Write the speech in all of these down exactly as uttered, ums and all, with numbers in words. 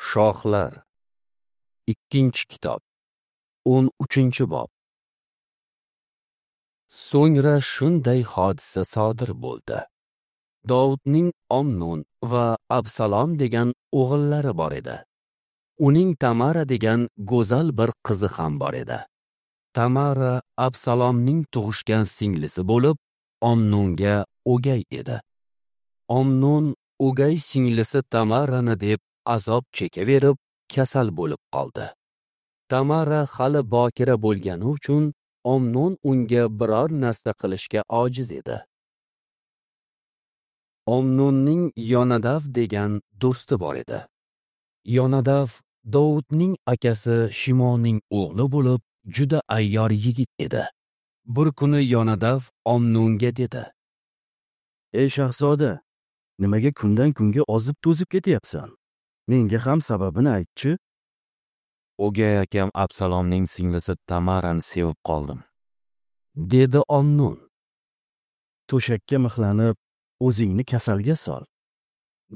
Shohlar. Ikkinchi kitob. o'n uchinchi bob. So'ngra shunday hodisa sodir bo'ldi. Dovudning Omnon va Absalom degan o'g'illari bor edi. Uning Tamara degan go'zal bir qizi ham bor edi. Tamara Absalomning tug'ishgan singlisi bo'lib, Omnonga o'gay edi. Omnon o'gay singlisi Tamarani deb azob chekaverib, kasal bo'lib qoldi. Tamara hali bokira bo'lgani uchun Omnon unga biror narsa qilishga ojiz edi. Omnonning Yonadav degan do'sti bor edi. Yonadav Dovudning akasi Shimoning o'g'li bo'lib, juda ayyor yigit edi. Bir kuni Yonadav Omnonga dedi: "Ey shahzoda, nimaga kundan kunga ozib to'zib ketyapsan? Menga ham sababini aytchi." "O'gay akam Absalomning singlisi Tamarani sevib qoldim," dedi Omnon. "To'shakka mixlanib, o'zingni kasalga sol,"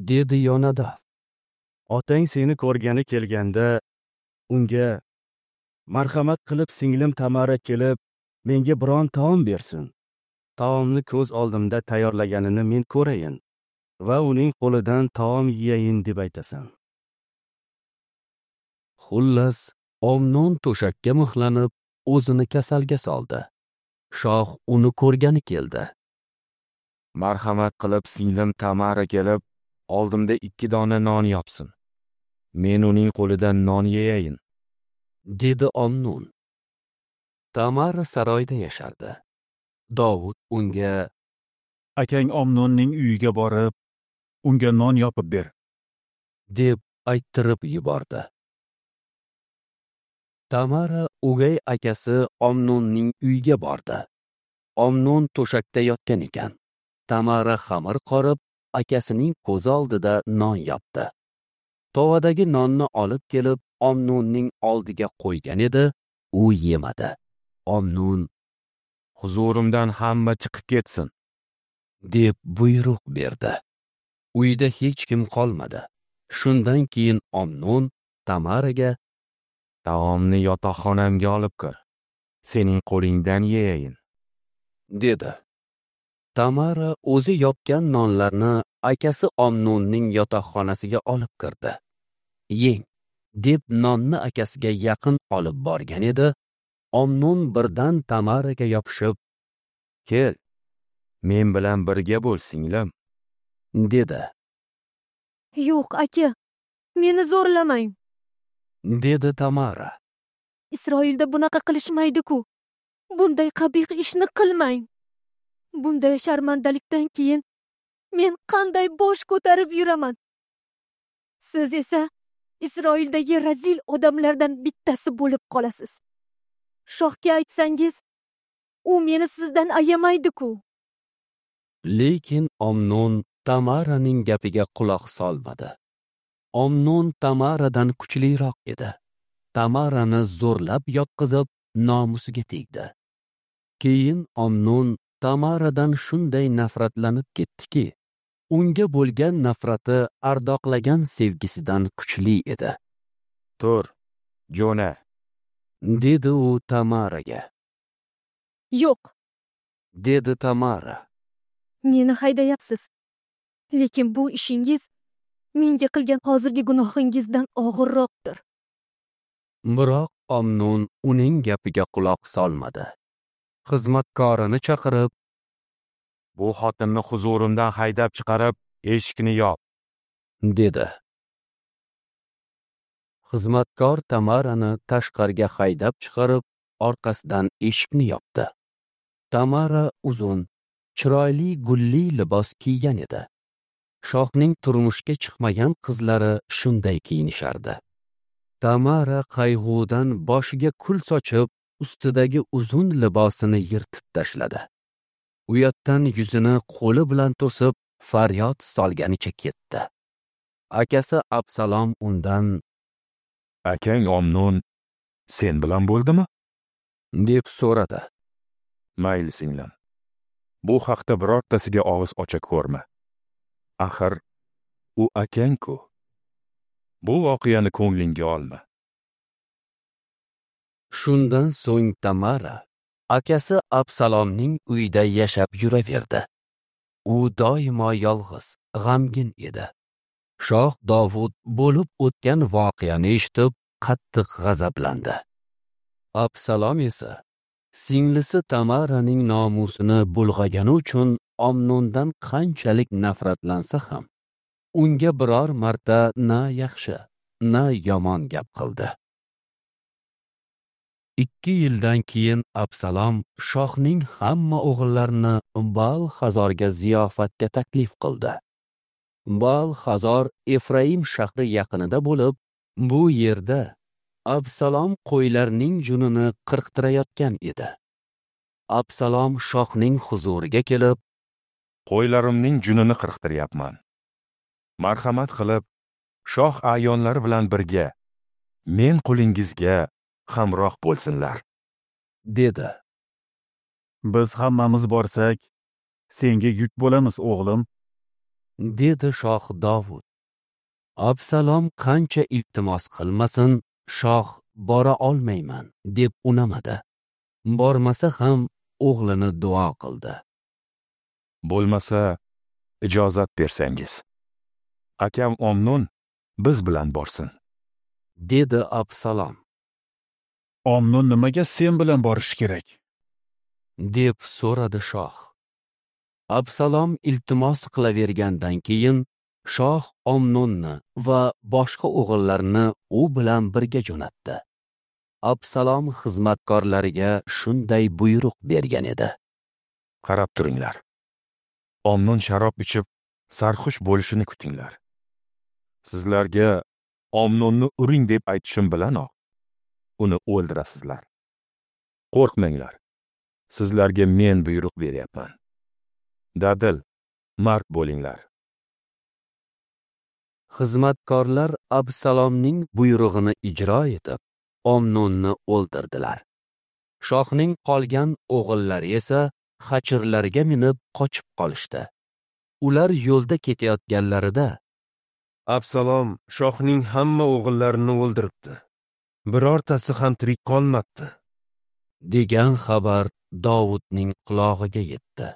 dedi Yonadav. "Otang seni ko'rgani kelganda unga marhamat qilib singlim Tamara kelib menga biron taom bersin. Taomni ko'z oldimda tayyorlaganini men ko'rayin va uning qo'lidan taom yeyin deb aytasan." Xullas, Omnon to'shakka mixlanib, o'zini kasalga soldi. Shoh uni ko'rgani keldi. "Marhamat qilib singlim Tamara kelib, oldimda ikki dona non yopsin. Men uning qo'lidan non yeyayin," dedi Omnon. Tamara saroyda yashardi. Dovud unga: "Akang Omnonning uyiga borib, unga non yopib ber," deb ayttirib yubordi. Tamara o'gay akasi Omnonning uyiga bordi. Omnon to'shakda yotgan ekan. Tamara xamir qorib, akasining ko'zi oldida non yopdi. Tovadagi nonni olib kelib, Omnonning oldiga qo'ygan edi, u yemadi. Omnon: "Huzurimdan hamma chiqib ketsin," deb buyruq berdi. Uyda hech kim qolmadi. Shundan keyin Omnon Tamaraga: "Taomni yotoqxonamga olib kir. Sening qo'lingdan yeyayin," dedi. Tamara o'zi yopgan nonlarni akasi Omnonning yotoqxonasiga olib kirdi. "Yeng," deb nonni akasiga yaqin olib borgan edi, Omnon birdan Tamaraga yopishib, "Kel, men bilan birga bo'l, singlim," dedi. "Yo'q, aka, meni zo'rlamang," dedi Tamara. "Isroilda bunaqa qilishmaydi-ku. Bunday qabih ishni qilmang. Bunday sharmandalikdan keyin men qanday bosh ko'tarib yuraman? Siz esa Isroildagi razil odamlardan bittasi bo'lib qolasiz. Shohga aytsangiz, u meni sizdan ayamaydi-ku." Lekin Omnon Tamaraning gapiga quloq solmadi. Omnon Tamaradan kuchliroq edi. Tamarani zo'rlab yotqizib, nomusiga tegdi. Keyin Omnon Tamaradan shunday nafratlanib ketdiki, unga bo'lgan nafrati ardoqlagan sevgisidan kuchli edi. "Tur, jo'na," dedi u Tamaraga. "Yo'q," dedi Tamara. "Meni haydayapsiz. Lekin bu ishingiz menga qilgan hozirgi gunohingizdan og'irroqdir." Biroq Omnon uning gapiga quloq solmadi. Xizmatkorini chaqirib, "Bu xotinni huzurimdan haydab chiqarib, eshikni yop," dedi. Xizmatkor Tamarani tashqariga haydab chiqarib, orqasidan eshikni yopdi. Tamara uzun, chiroyli gulli libos kiygan edi. Shohning turmushga chiqmagan qizlari shunday kiyinishardi. Tamara qayg'udan boshiga kul sochib, ustidagi uzun libosini yirtib tashladi. Uyatdan yuzini qo'li bilan to'sib, faryod solganicha ketdi. Akasi Absalom undan: "Akang Omnon sen bilan bo'ldimi?" deb so'radi. "Mayli, singlim. Bu haqda birortasiga og'iz ocha ko'rma. Axir u akang-ku. Bu voqeani ko'nglingga olma. Shundan so'ng Tamara akasi Absalomning uyida yashab yuraverdi. U doimo yolg'iz, g'amgin edi. Shoh Dovud bo'lib o'tgan voqeani eshitib, qattiq g'azablandi. Absalom esa singlisi Tamaraning nomusini bulg'agani uchun Omnondan qanchalik nafratlansa ham, unga biror marta na yaxshi, na yomon gap qildi. Ikki yildan keyin Absalom shohning hamma o'g'illarini Baal-Hazorga ziyofatga taklif qildi. Baal-Hazor Efraim shahri yaqinida bo'lib, bu yerda Absalom qo'ylarning junini qirqtirayotgan edi. Absalom shohning huzuriga kelib, "Qo'ylarimning junini qirqtiryapman. Marhamat qilib, shoh a'yonlari bilan birga men qulingizga hamroh bo'lsinlar," dedi. Biz hammamiz borsak, senga yuk bo'lamiz, o'g'lim, dedi shoh Dovud. Absalom qancha iltimos qilmasin, shoh bora olmayman deb unamadi. Bormasa ham o'g'lini duo qildi. Bo'lmasa ijozat bersangiz, akam Omnon biz bilan borsin, dedi Absalom. Omnon nimaga sen bilan borishi kerak? deb so'radi shoh. Absalom iltimos qilavergandan keyin shoh Omnonni va boshqa o'g'illarini u bilan birga jo'natdi. Absalom xizmatkorlariga shunday buyruq bergan edi: "Qarab turinglar. Omnon sharob ichib sarxush bo'lishini kutinglar. Sizlarga Omnonni uring deb aytishim bilanoq uni o'ldirasizlar. Qo'rqmanglar. Sizlarga men buyruq beryapman. Dadil, mard bo'linglar." Xizmatkorlar Absalomning buyrug'ini ijro etib, Omnonni o'ldirdilar. Shohning qolgan o'g'illari esa xachirlarga minib qochib qolishdi. Ular yo'lda ketayotganlarida Absalom shohning hamma o'g'illarini o'ldiribdi. Birortasi ham tirik qolmabdi, degan xabar Dovudning qulog'iga yetdi.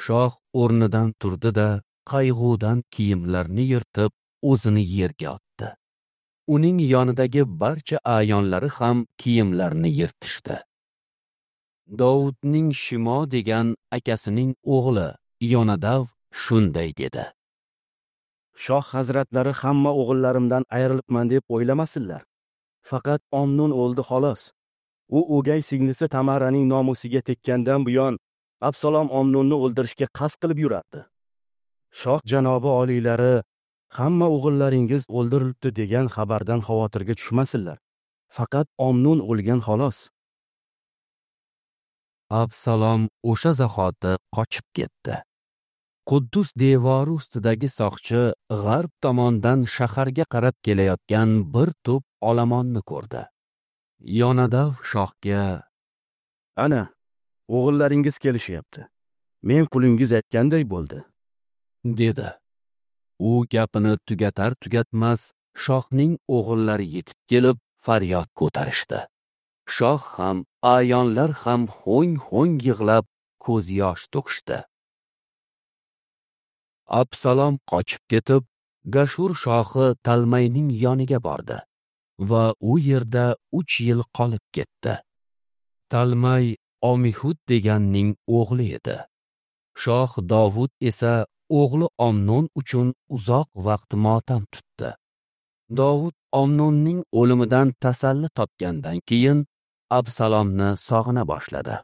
Shoh o'rnidan turdi-da, qayg'udan kiyimlarini yirtib, o'zini yerga otdi. Uning yonidagi barcha a'yonlari ham kiyimlarini yirtishdi. Dovudning Shimo degan akasining o'g'li Yonadav shunday dedi: Shoh hazratlari hamma o'g'illarimdan ayrilibman deb o'ylamasinlar. Faqat Omnon o'ldi xolos. U o'gay singlisi Tamaraning nomusiga tekkandan buyon Absalom Omnonni o'ldirishga qasd qilib yurardi. Shoh janobi oliylari hamma o'g'illaringiz o'ldirilibdi degan xabardan xavotirga tushmasinlar. Faqat Omnon o'lgan xolos. Absalom o'sha zahoti qochib ketdi. Quddus devori ustidagi soqchi g'arb tomondan shaharga qarab kelayotgan bir to'p olomonni ko'rdi. Yonadav shohga: "Ana, o'g'illaringiz kelishyapti. Men qulingiz aytganday bo'ldi," dedi. U gapini tugatar tugatmas shohning o'g'illari yetib kelib faryod ko'tarishdi. Shoh ham, a'yonlar ham ho'ng-ho'ng yig'lab ko'z yosh to'kishdi. Absalom qochib ketib, Gashur shohi Talmayning yoniga bordi va u yerda uch yil qolib ketdi. Talmay Omihud deganning o'g'li edi. Shoh Dovud esa o'g'li Omnon uchun uzoq vaqt motam tutdi. Dovud Omnonning o'limidan tasalli topgandan keyin Absalomni sog'ina boshladi.